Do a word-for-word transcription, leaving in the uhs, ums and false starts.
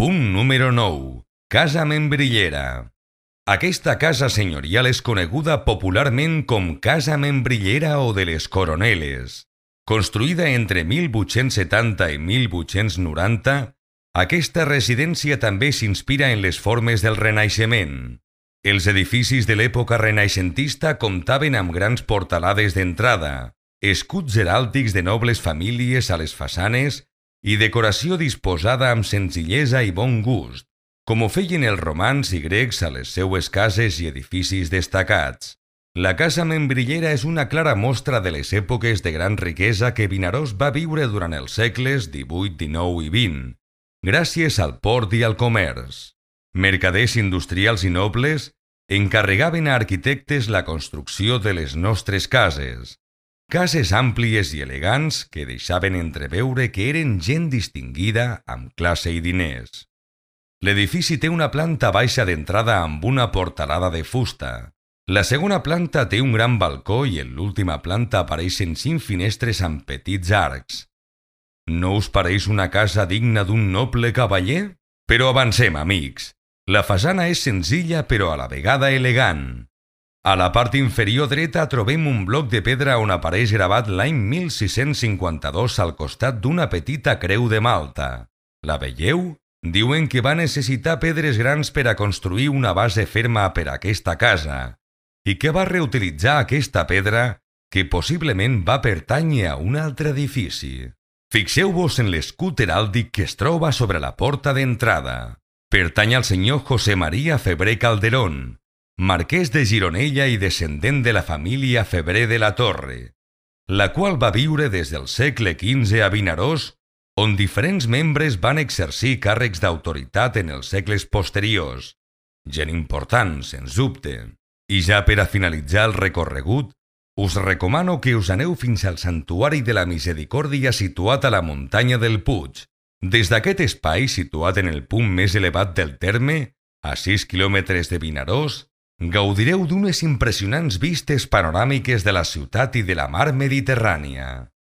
Punt número nou. Casa Membrillera. Aquesta casa senyorial és coneguda popularment com Casa Membrillera o de les Coroneles. Construïda entre mil vuit-cents setanta i mil vuit-cents noranta, aquesta residència també s'inspira en les formes del Renaixement. Els edificis de l'època renaixentista comptaven amb grans portalades d'entrada, escuts heràldics de nobles famílies a les façanes i decoració disposada amb senzillesa i bon gust, com ho feien els romans i grecs a les seues cases i edificis destacats. La Casa Membrillera és una clara mostra de les èpoques de gran riquesa que Vinaròs va viure durant els segles divuit, dinou i vint, gràcies al port i al comerç. Mercaders industrials i nobles encarregaven a arquitectes la construcció de les nostres cases. Cases àmplies i elegants que deixaven entreveure que eren gent distingida amb classe i diners. L'edifici té una planta baixa d'entrada amb una portalada de fusta. La segona planta té un gran balcó i en l'última planta apareixen cinc finestres amb petits arcs. No us pareix una casa digna d'un noble cavaller? Però avancem, amics. La façana és senzilla però a la vegada elegant. A la part inferior dreta trobem un bloc de pedra on apareix gravat l'any mil sis-cents cinquanta-dos al costat d'una petita creu de Malta. La veieu? Diuen que va necessitar pedres grans per a construir una base ferma per a aquesta casa i que va reutilitzar aquesta pedra que possiblement va pertànyer a un altre edifici. Fixeu-vos en l'escut heràldic que es troba sobre la porta d'entrada. Pertany al senyor José María Febrer Calderón, marquès de Gironella i descendent de la família Febrer de la Torre, la qual va viure des del segle quinze a Vinaròs, on diferents membres van exercir càrrecs d'autoritat en els segles posteriors. Gent important, sens dubte. I ja per a finalitzar el recorregut, us recomano que us aneu fins al Santuari de la Misericòrdia situat a la muntanya del Puig. Des d'aquest espai, situat en el punt més elevat del terme, a sis quilòmetres de Vinaròs, gaudireu d'unes impressionants vistes panoràmiques de la ciutat i de la mar Mediterrània.